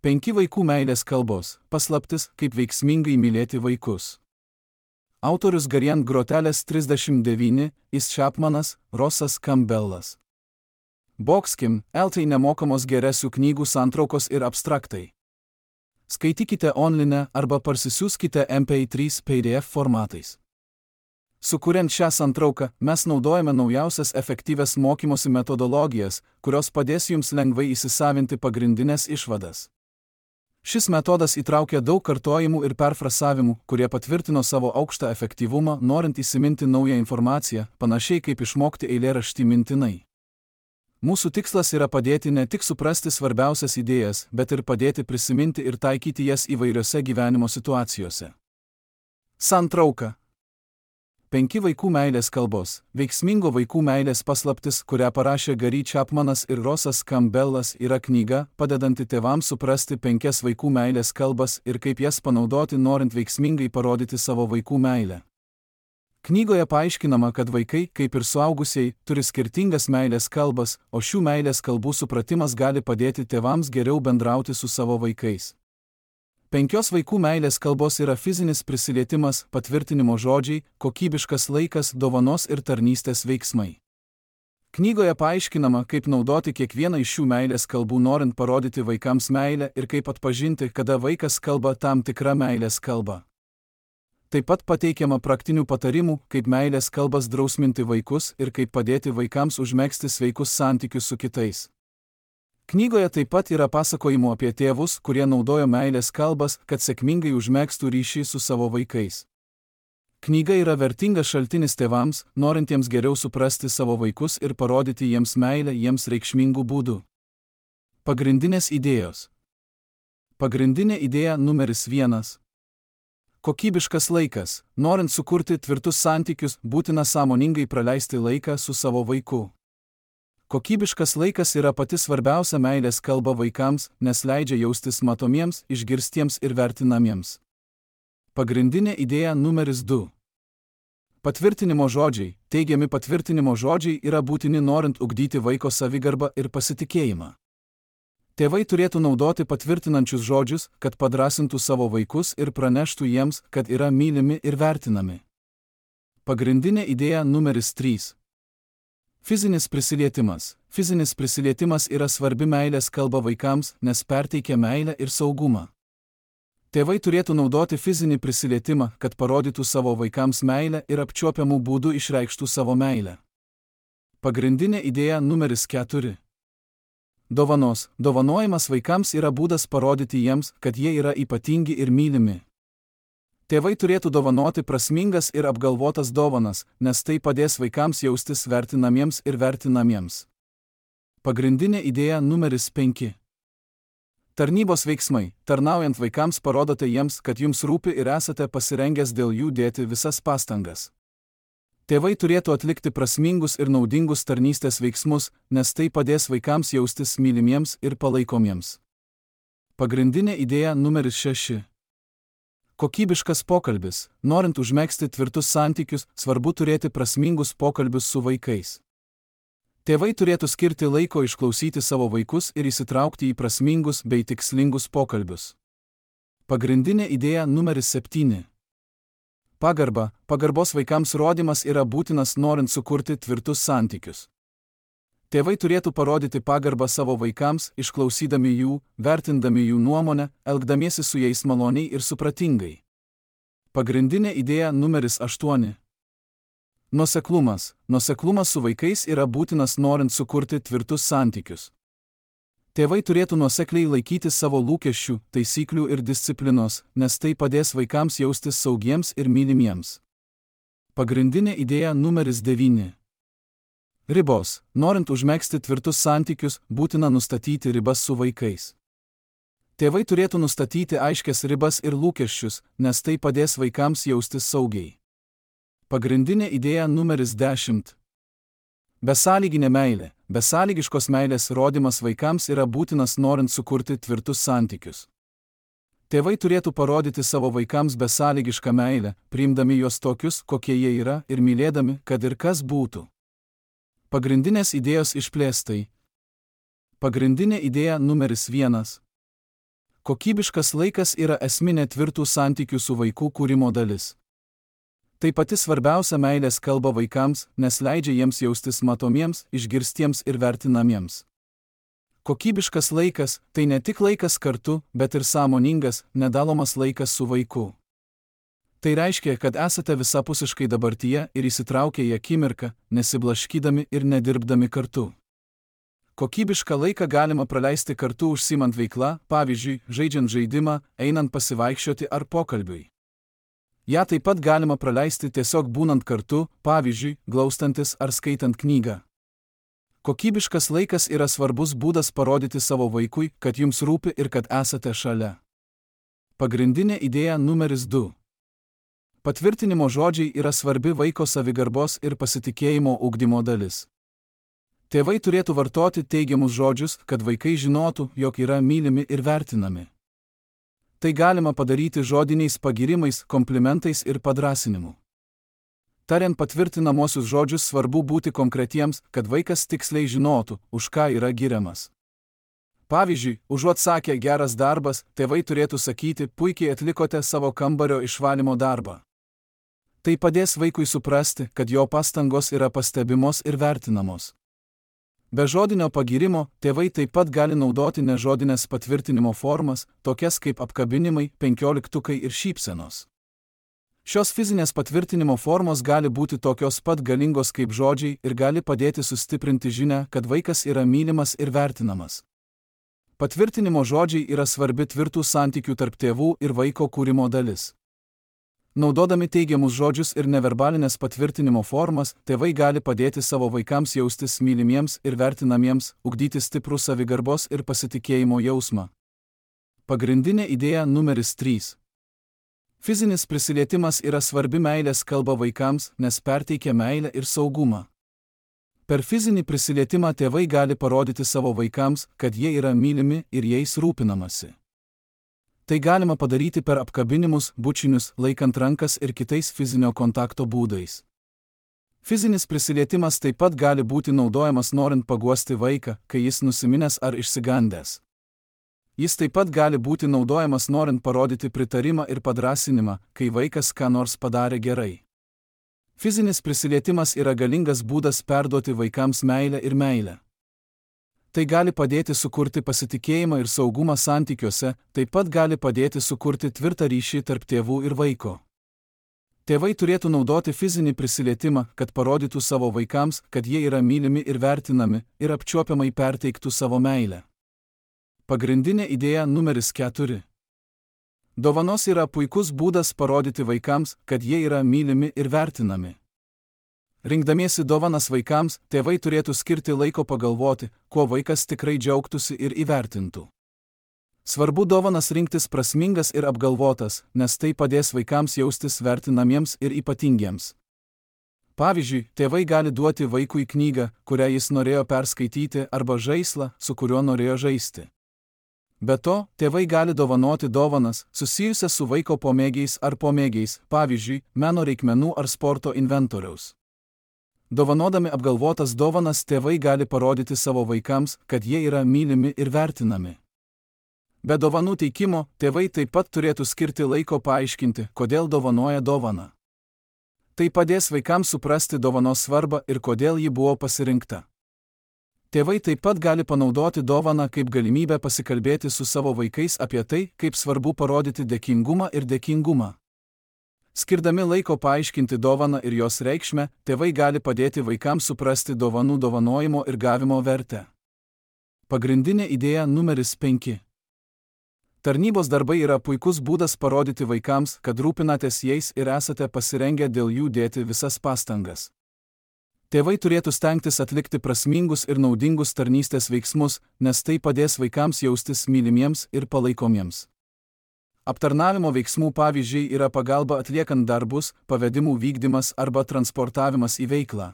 5 vaikų meilės kalbos – paslaptis, kaip veiksmingai mylėti vaikus. Autorius Gariant Grotelės 39, Is Chapmanas, Rossas Campbellas. Boxkim, LT nemokamos geresių knygų santraukos ir abstraktai. Skaitykite online arba parsisiųskite MP3 PDF formatais. Sukuriant šią santrauką, mes naudojame naujausias efektyvias mokymosi metodologijas, kurios padės jums lengvai įsisavinti pagrindinės išvadas. Šis metodas įtraukia daug kartojimų ir perfrasavimų, kurie patvirtino savo aukštą efektyvumą, norint įsiminti naują informaciją, panašiai kaip išmokti eilėraštį mintinai. Mūsų tikslas yra padėti ne tik suprasti svarbiausias idėjas, bet ir padėti prisiminti ir taikyti jas įvairiose gyvenimo situacijose. Santrauka. 5 vaikų meilės kalbos – veiksmingo vaikų meilės paslaptis, kurią parašė Gary Chapmanas ir Rossas Campbellas, yra knyga, padedanti tėvams suprasti 5 vaikų meilės kalbas ir kaip jas panaudoti, norint veiksmingai parodyti savo vaikų meilę. Knygoje paaiškinama, kad vaikai, kaip ir suaugusieji, turi skirtingas meilės kalbas, o šių meilės kalbų supratimas gali padėti tėvams geriau bendrauti su savo vaikais. 5 vaikų meilės kalbos yra fizinis prisilietimas, patvirtinimo žodžiai, kokybiškas laikas, dovanos ir tarnystės veiksmai. Knygoje paaiškinama, kaip naudoti kiekvieną iš šių meilės kalbų, norint parodyti vaikams meilę ir kaip atpažinti, kada vaikas kalba tam tikrą meilės kalbą. Taip pat pateikiama praktinių patarimų, kaip meilės kalbas drausminti vaikus ir kaip padėti vaikams užmegzti sveikus santykius su kitais. Knygoje taip pat yra pasakojimų apie tėvus, kurie naudojo meilės kalbas, kad sėkmingai užmegztų ryšį su savo vaikais. Knyga yra vertingas šaltinis tėvams, norintiems geriau suprasti savo vaikus ir parodyti jiems meilę jiems reikšmingų būdų. Pagrindinės idėjos. Pagrindinė idėja numeris 1. Kokybiškas laikas. Norint sukurti tvirtus santykius, būtina sąmoningai praleisti laiką su savo vaiku. Kokybiškas laikas yra pati svarbiausia meilės kalba vaikams, nes leidžia jaustis matomiems, išgirstiems ir vertinamiems. Pagrindinė idėja numeris 2. Patvirtinimo žodžiai. Teigiami patvirtinimo žodžiai yra būtini, norint ugdyti vaiko savigarbą ir pasitikėjimą. Tėvai turėtų naudoti patvirtinančius žodžius, kad padrąsintų savo vaikus ir praneštų jiems, kad yra mylimi ir vertinami. Pagrindinė idėja numeris 3. Fizinis prisilietimas. Fizinis prisilietimas yra svarbi meilės kalba vaikams, nes perteikia meilę ir saugumą. Tėvai turėtų naudoti fizinį prisilietimą, kad parodytų savo vaikams meilę ir apčiuopiamų būdų išreikštų savo meilę. Pagrindinė idėja numeris 4. Dovanos. Dovanojimas vaikams yra būdas parodyti jiems, kad jie yra ypatingi ir mylimi. Tėvai turėtų dovanoti prasmingas ir apgalvotas dovanas, nes tai padės vaikams jaustis vertinamiems ir vertinamiems. Pagrindinė idėja numeris 5. Tarnybos veiksmai. Tarnaujant vaikams parodote jiems, kad jums rūpi ir esate pasirengęs dėl jų dėti visas pastangas. Tėvai turėtų atlikti prasmingus ir naudingus tarnystės veiksmus, nes tai padės vaikams jaustis mylimiems ir palaikomiems. Pagrindinė idėja numeris 6. Kokybiškas pokalbis. Norint užmegzti tvirtus santykius, svarbu turėti prasmingus pokalbius su vaikais. Tėvai turėtų skirti laiko išklausyti savo vaikus ir įsitraukti į prasmingus bei tikslingus pokalbius. Pagrindinė idėja numeris 7. Pagarba. Pagarbos vaikams rodymas yra būtinas, norint sukurti tvirtus santykius. Tėvai turėtų parodyti pagarbą savo vaikams, išklausydami jų, vertindami jų nuomonę, elgdamiesi su jais maloniai ir supratingai. Pagrindinė idėja numeris 8. Nuoseklumas. Nuoseklumas su vaikais yra būtinas, norint sukurti tvirtus santykius. Tėvai turėtų nuosekliai laikytis savo lūkesčių, taisyklių ir disciplinos, nes tai padės vaikams jaustis saugiems ir mylimiems. Pagrindinė idėja numeris 9. Ribos. Norint užmegzti tvirtus santykius, būtina nustatyti ribas su vaikais. Tėvai turėtų nustatyti aiškias ribas ir lūkesčius, nes tai padės vaikams jaustis saugiai. Pagrindinė idėja numeris 10. Besąlyginė meilė. Besąlygiškos meilės rodymas vaikams yra būtinas, norint sukurti tvirtus santykius. Tėvai turėtų parodyti savo vaikams besąlygišką meilę, priimdami juos tokius, kokie jie yra, ir mylėdami, kad ir kas būtų. Pagrindinės idėjos išplėstai. Pagrindinė idėja numeris 1. Kokybiškas laikas yra esminė tvirtų santykių su vaiku kūrimo dalis. Tai pati svarbiausia meilės kalba vaikams, nes leidžia jiems jaustis matomiems, išgirstiems ir vertinamiems. Kokybiškas laikas – tai ne tik laikas kartu, bet ir sąmoningas, nedalomas laikas su vaiku. Tai reiškia, kad esate visapusiškai dabartyje ir įsitraukę į akimirką, nesiblaškydami ir nedirbdami kartu. Kokybišką laiką galima praleisti kartu užsiimant veiklą, pavyzdžiui, žaidžiant žaidimą, einant pasivaikščioti ar pokalbiui. Ja taip pat galima praleisti tiesiog būnant kartu, pavyzdžiui, glaustantis ar skaitant knygą. Kokybiškas laikas yra svarbus būdas parodyti savo vaikui, kad jums rūpi ir kad esate šalia. Pagrindinė idėja numeris 2. Patvirtinimo žodžiai yra svarbi vaiko savigarbos ir pasitikėjimo ugdymo dalis. Tėvai turėtų vartoti teigiamus žodžius, kad vaikai žinotų, jog yra mylimi ir vertinami. Tai galima padaryti žodiniais pagyrimais, komplimentais ir padrąsinimu. Tariant patvirtinamosius žodžius svarbu būti konkretiems, kad vaikas tiksliai žinotų, už ką yra giriamas. Pavyzdžiui, užuot sakę geras darbas, tėvai turėtų sakyti, puikiai atlikote savo kambario išvalymo darbą. Tai padės vaikui suprasti, kad jo pastangos yra pastebimos ir vertinamos. Be žodinio pagyrimo, tėvai taip pat gali naudoti nežodinės patvirtinimo formas, tokias kaip apkabinimai, 15 ir šypsenos. Šios fizinės patvirtinimo formos gali būti tokios pat galingos kaip žodžiai ir gali padėti sustiprinti žinią, kad vaikas yra mylimas ir vertinamas. Patvirtinimo žodžiai yra svarbi tvirtų santykių tarp tėvų ir vaiko kūrimo dalis. Naudodami teigiamus žodžius ir neverbalinės patvirtinimo formas, tėvai gali padėti savo vaikams jaustis mylimiems ir vertinamiems, ugdyti stiprų savigarbos ir pasitikėjimo jausmą. Pagrindinė idėja numeris 3. Fizinis prisilietimas yra svarbi meilės kalba vaikams, nes perteikia meilę ir saugumą. Per fizinį prisilietimą tėvai gali parodyti savo vaikams, kad jie yra mylimi ir jais rūpinamasi. Tai galima padaryti per apkabinimus, bučinius, laikant rankas ir kitais fizinio kontakto būdais. Fizinis prisilietimas taip pat gali būti naudojamas norint paguosti vaiką, kai jis nusiminęs ar išsigandęs. Jis taip pat gali būti naudojamas norint parodyti pritarimą ir padrąsinimą, kai vaikas ką nors padarė gerai. Fizinis prisilietimas yra galingas būdas perduoti vaikams meilę ir meilę. Tai gali padėti sukurti pasitikėjimą ir saugumą santykiuose, taip pat gali padėti sukurti tvirtą ryšį tarp tėvų ir vaiko. Tėvai turėtų naudoti fizinį prisilietimą, kad parodytų savo vaikams, kad jie yra mylimi ir vertinami, ir apčiuopiamai perteiktų savo meilę. Pagrindinė idėja numeris 4. Dovanos yra puikus būdas parodyti vaikams, kad jie yra mylimi ir vertinami. Rinkdamiesi dovanas vaikams, tėvai turėtų skirti laiko pagalvoti, kuo vaikas tikrai džiaugtųsi ir įvertintų. Svarbu dovanas rinktis prasmingas ir apgalvotas, nes tai padės vaikams jaustis vertinamiems ir ypatingiems. Pavyzdžiui, tėvai gali duoti vaikui knygą, kurią jis norėjo perskaityti, arba žaislą, su kuriuo norėjo žaisti. Be to, tėvai gali dovanoti dovanas, susijusias su vaiko pomėgiais ar pomėgiais, pavyzdžiui, meno reikmenų ar sporto inventoriaus. Dovanodami apgalvotas dovanas tėvai gali parodyti savo vaikams, kad jie yra mylimi ir vertinami. Be dovanų teikimo, tėvai taip pat turėtų skirti laiko paaiškinti, kodėl dovanoja dovaną. Tai padės vaikams suprasti dovanos svarbą ir kodėl ji buvo pasirinkta. Tėvai taip pat gali panaudoti dovaną kaip galimybę pasikalbėti su savo vaikais apie tai, kaip svarbu parodyti dėkingumą ir dėkingumą. Skirdami laiko paaiškinti dovaną ir jos reikšmę, tėvai gali padėti vaikams suprasti dovanų dovanojimo ir gavimo vertę. Pagrindinė idėja numeris 5. Tarnybos darbai yra puikus būdas parodyti vaikams, kad rūpinatės jais ir esate pasirengę dėl jų dėti visas pastangas. Tėvai turėtų stengtis atlikti prasmingus ir naudingus tarnystės veiksmus, nes tai padės vaikams jaustis mylimiems ir palaikomiems. Aptarnavimo veiksmų pavyzdžiai yra pagalba atliekant darbus, pavedimų vykdymas arba transportavimas į veiklą.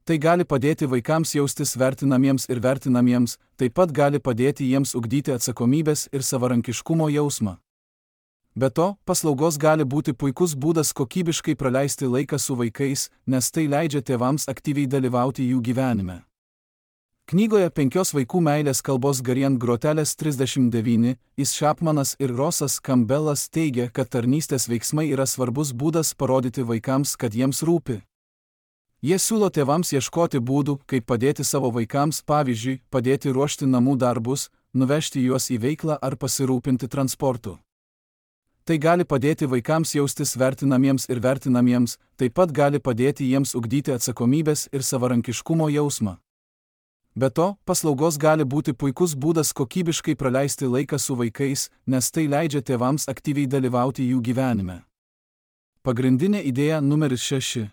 Tai gali padėti vaikams jaustis vertinamiems ir vertinamiems, taip pat gali padėti jiems ugdyti atsakomybės ir savarankiškumo jausmą. Be to, paslaugos gali būti puikus būdas kokybiškai praleisti laiką su vaikais, nes tai leidžia tėvams aktyviai dalyvauti jų gyvenime. Knygoje 5 vaikų meilės kalbos Garian Groteles 39, Is Chapmanas ir Rossas Campbellas teigia, kad tarnystės veiksmai yra svarbus būdas parodyti vaikams, kad jiems rūpi. Jie siūlo tėvams ieškoti būdų, kaip padėti savo vaikams, pavyzdžiui, padėti ruošti namų darbus, nuvežti juos į veiklą ar pasirūpinti transportu. Tai gali padėti vaikams jaustis vertinamiems ir vertinamiems, taip pat gali padėti jiems ugdyti atsakomybės ir savarankiškumo jausmą. Be to, paslaugos gali būti puikus būdas kokybiškai praleisti laiką su vaikais, nes tai leidžia tėvams aktyviai dalyvauti jų gyvenime. Pagrindinė idėja numeris 6.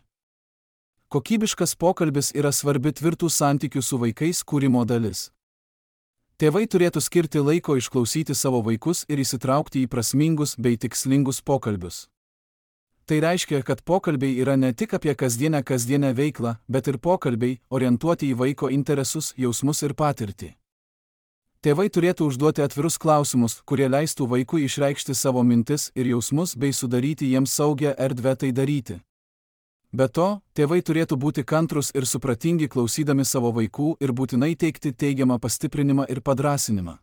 Kokybiškas pokalbis yra svarbi tvirtų santykių su vaikais kūrimo dalis. Tėvai turėtų skirti laiko išklausyti savo vaikus ir įsitraukti į prasmingus bei tikslingus pokalbius. Tai reiškia, kad pokalbiai yra ne tik apie kasdienę veiklą, bet ir pokalbiai, orientuoti į vaiko interesus, jausmus ir patirtį. Tėvai turėtų užduoti atvirus klausimus, kurie leistų vaikui išreikšti savo mintis ir jausmus bei sudaryti jiems saugią erdvę tai daryti. Be to, tėvai turėtų būti kantrūs ir supratingi klausydami savo vaikų ir būtinai teikti teigiamą pastiprinimą ir padrąsinimą.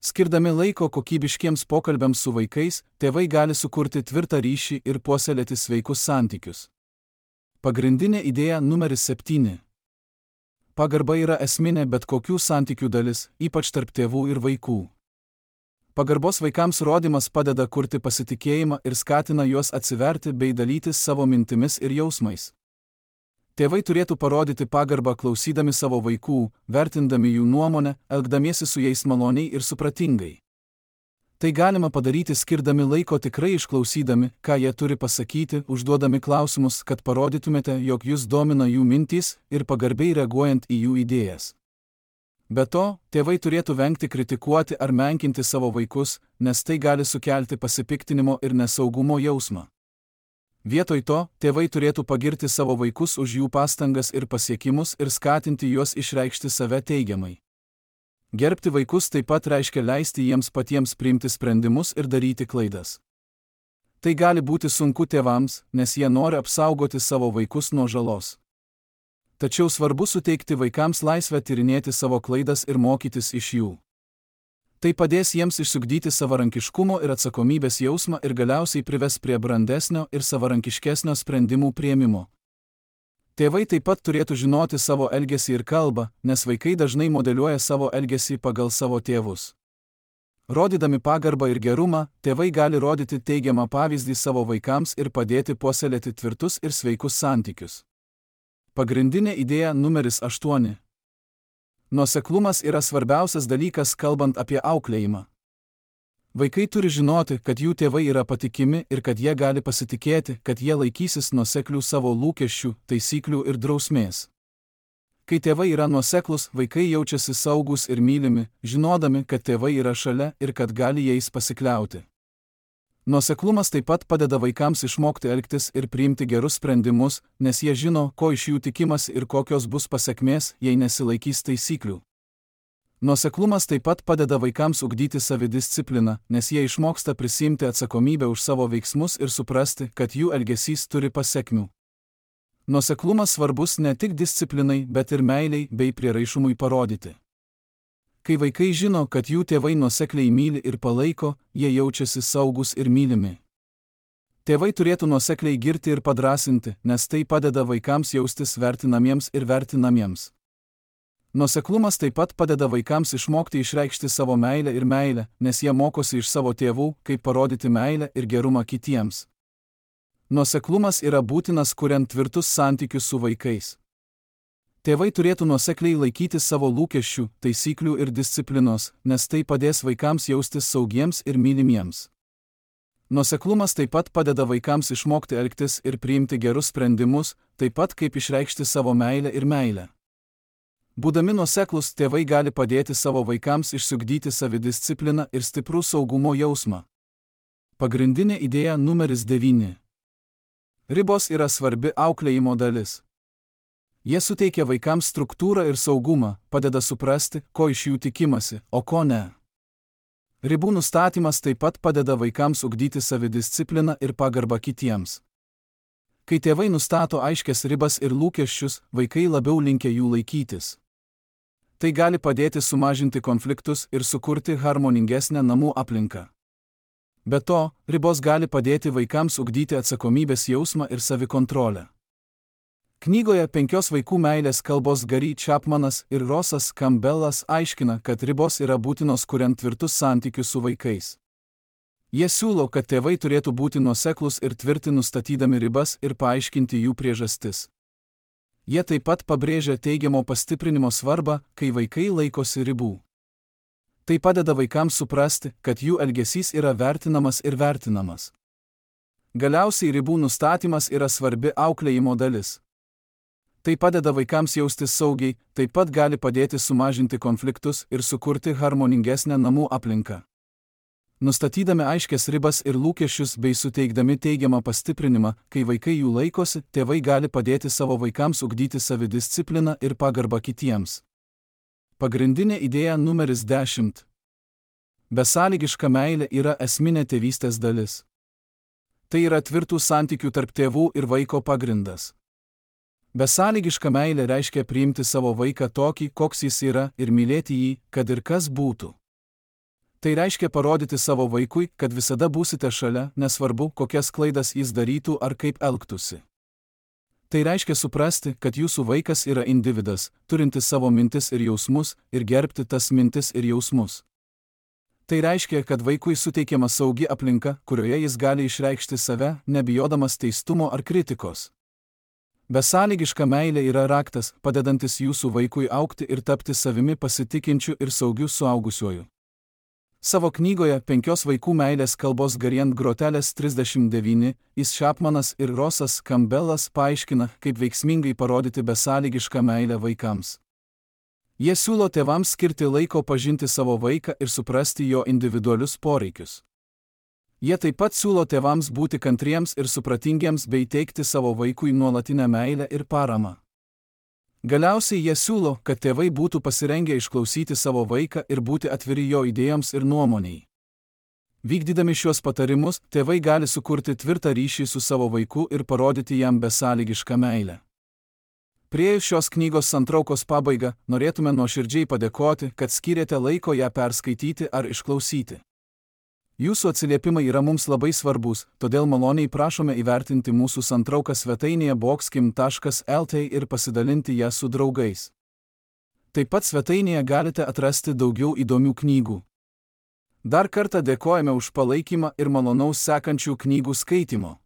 Skirdami laiko kokybiškiems pokalbiams su vaikais, tėvai gali sukurti tvirtą ryšį ir puoselėti sveikus santykius. Pagrindinė idėja numeris 7. Pagarba yra esminė bet kokių santykių dalis, ypač tarp tėvų ir vaikų. Pagarbos vaikams rodymas padeda kurti pasitikėjimą ir skatina juos atsiverti bei dalytis savo mintimis ir jausmais. Tėvai turėtų parodyti pagarbą klausydami savo vaikų, vertindami jų nuomonę, elgdamiesi su jais maloniai ir supratingai. Tai galima padaryti skirdami laiko tikrai išklausydami, ką jie turi pasakyti, užduodami klausimus, kad parodytumėte, jog jūs domina jų mintys ir pagarbiai reaguojant į jų idėjas. Be to, tėvai turėtų vengti kritikuoti ar menkinti savo vaikus, nes tai gali sukelti pasipiktinimo ir nesaugumo jausmą. Vietoj to, tėvai turėtų pagirti savo vaikus už jų pastangas ir pasiekimus ir skatinti juos išreikšti save teigiamai. Gerbti vaikus taip pat reiškia leisti jiems patiems priimti sprendimus ir daryti klaidas. Tai gali būti sunku tėvams, nes jie nori apsaugoti savo vaikus nuo žalos. Tačiau svarbu suteikti vaikams laisvę tyrinėti savo klaidas ir mokytis iš jų. Tai padės jiems išsiugdyti savarankiškumo ir atsakomybės jausmą ir galiausiai prives prie brandesnio ir savarankiškesnio sprendimų priėmimo. Tėvai taip pat turėtų žinoti savo elgesį ir kalbą, nes vaikai dažnai modeliuoja savo elgesį pagal savo tėvus. Rodydami pagarbą ir gerumą, tėvai gali rodyti teigiamą pavyzdį savo vaikams ir padėti puoselėti tvirtus ir sveikus santykius. Pagrindinė idėja numeris 8. Nuoseklumas yra svarbiausias dalykas kalbant apie auklėjimą. Vaikai turi žinoti, kad jų tėvai yra patikimi ir kad jie gali pasitikėti, kad jie laikysis nuoseklių savo lūkesčių, taisyklių ir drausmės. Kai tėvai yra nuoseklūs, vaikai jaučiasi saugūs ir mylimi, žinodami, kad tėvai yra šalia ir kad gali jais pasikliauti. Nuoseklumas taip pat padeda vaikams išmokti elgtis ir priimti gerus sprendimus, nes jie žino, ko iš jų tikimasi ir kokios bus pasekmės, jei nesilaikys taisyklių. Nuoseklumas taip pat padeda vaikams ugdyti savidiscipliną, nes jie išmoksta prisiimti atsakomybę už savo veiksmus ir suprasti, kad jų elgesys turi pasekmių. Nuoseklumas svarbus ne tik disciplinai, bet ir meiliai bei prieraišumui parodyti. Kai vaikai žino, kad jų tėvai nuosekliai myli ir palaiko, jie jaučiasi saugus ir mylimi. Tėvai turėtų nuosekliai girti ir padrąsinti, nes tai padeda vaikams jaustis vertinamiems ir vertinamiems. Nuoseklumas taip pat padeda vaikams išmokti išreikšti savo meilę ir meilę, nes jie mokosi iš savo tėvų, kaip parodyti meilę ir gerumą kitiems. Nuoseklumas yra būtinas kuriant tvirtus santykius su vaikais. Tėvai turėtų nuosekliai laikyti savo lūkesčių, taisyklių ir disciplinos, nes tai padės vaikams jaustis saugiems ir mylimiems. Nuoseklumas taip pat padeda vaikams išmokti elgtis ir priimti gerus sprendimus, taip pat kaip išreikšti savo meilę ir meilę. Būdami nuoseklūs, tėvai gali padėti savo vaikams išsiugdyti savidiscipliną ir stiprų saugumo jausmą. Pagrindinė idėja numeris 9. Ribos yra svarbi auklėjimo dalis. Jie suteikia vaikams struktūrą ir saugumą, padeda suprasti, ko iš jų tikimasi, o ko ne. Ribų nustatymas taip pat padeda vaikams ugdyti savidiscipliną ir pagarbą kitiems. Kai tėvai nustato aiškias ribas ir lūkesčius, vaikai labiau linkę jų laikytis. Tai gali padėti sumažinti konfliktus ir sukurti harmoningesnę namų aplinką. Be to, ribos gali padėti vaikams ugdyti atsakomybės jausmą ir savikontrolę. Knygoje 5 vaikų meilės kalbos Gary Chapmanas ir Rossas Campbellas aiškina, kad ribos yra būtinos kuriant tvirtus santykius su vaikais. Jie siūlo, kad tėvai turėtų būti nuoseklūs ir tvirti nustatydami ribas ir paaiškinti jų priežastis. Jie taip pat pabrėžia teigiamo pastiprinimo svarbą, kai vaikai laikosi ribų. Tai padeda vaikams suprasti, kad jų elgesys yra vertinamas ir vertinamas. Galiausiai ribų nustatymas yra svarbi auklėjimo dalis. Tai padeda vaikams jaustis saugiai, taip pat gali padėti sumažinti konfliktus ir sukurti harmoningesnę namų aplinką. Nustatydami aiškias ribas ir lūkesčius bei suteikdami teigiamą pastiprinimą, kai vaikai jų laikosi, tėvai gali padėti savo vaikams ugdyti savidiscipliną ir pagarbą kitiems. Pagrindinė idėja numeris 10. Besąlygiška meilė yra esminė tėvystės dalis. Tai yra tvirtų santykių tarp tėvų ir vaiko pagrindas. Besąlygiška meilė reiškia priimti savo vaiką tokį, koks jis yra, ir mylėti jį, kad ir kas būtų. Tai reiškia parodyti savo vaikui, kad visada būsite šalia, nesvarbu, kokias klaidas jis darytų ar kaip elgtųsi. Tai reiškia suprasti, kad jūsų vaikas yra individas, turintis savo mintis ir jausmus, ir gerbti tas mintis ir jausmus. Tai reiškia, kad vaikui suteikiama saugi aplinka, kurioje jis gali išreikšti save, nebijodamas teistumo ar kritikos. Besąlygiška meilė yra raktas, padedantis jūsų vaikui augti ir tapti savimi pasitikinčiu ir saugiu suaugusiuoju. Savo knygoje 5 vaikų meilės kalbos Gariant grotelės 39, Chapmanas ir Rossas Campbellas paaiškina, kaip veiksmingai parodyti besąlygišką meilę vaikams. Jie siūlo tėvams skirti laiko pažinti savo vaiką ir suprasti jo individualius poreikius. Jie taip pat siūlo tėvams būti kantriems ir supratingiems bei teikti savo vaikui nuolatinę meilę ir paramą. Galiausiai jie siūlo, kad tėvai būtų pasirengę išklausyti savo vaiką ir būti atviri jo idėjoms ir nuomoniai. Vykdydami šiuos patarimus, tėvai gali sukurti tvirtą ryšį su savo vaiku ir parodyti jam besąlygišką meilę. Priėjus šios knygos santraukos pabaigą, norėtume nuoširdžiai padėkoti, kad skyrėte laiko ją perskaityti ar išklausyti. Jūsų atsiliepimai yra mums labai svarbus, todėl maloniai prašome įvertinti mūsų santrauką svetainėje boxkim.lt ir pasidalinti ją su draugais. Taip pat svetainėje galite atrasti daugiau įdomių knygų. Dar kartą dėkojame už palaikymą ir malonaus sekančių knygų skaitimo.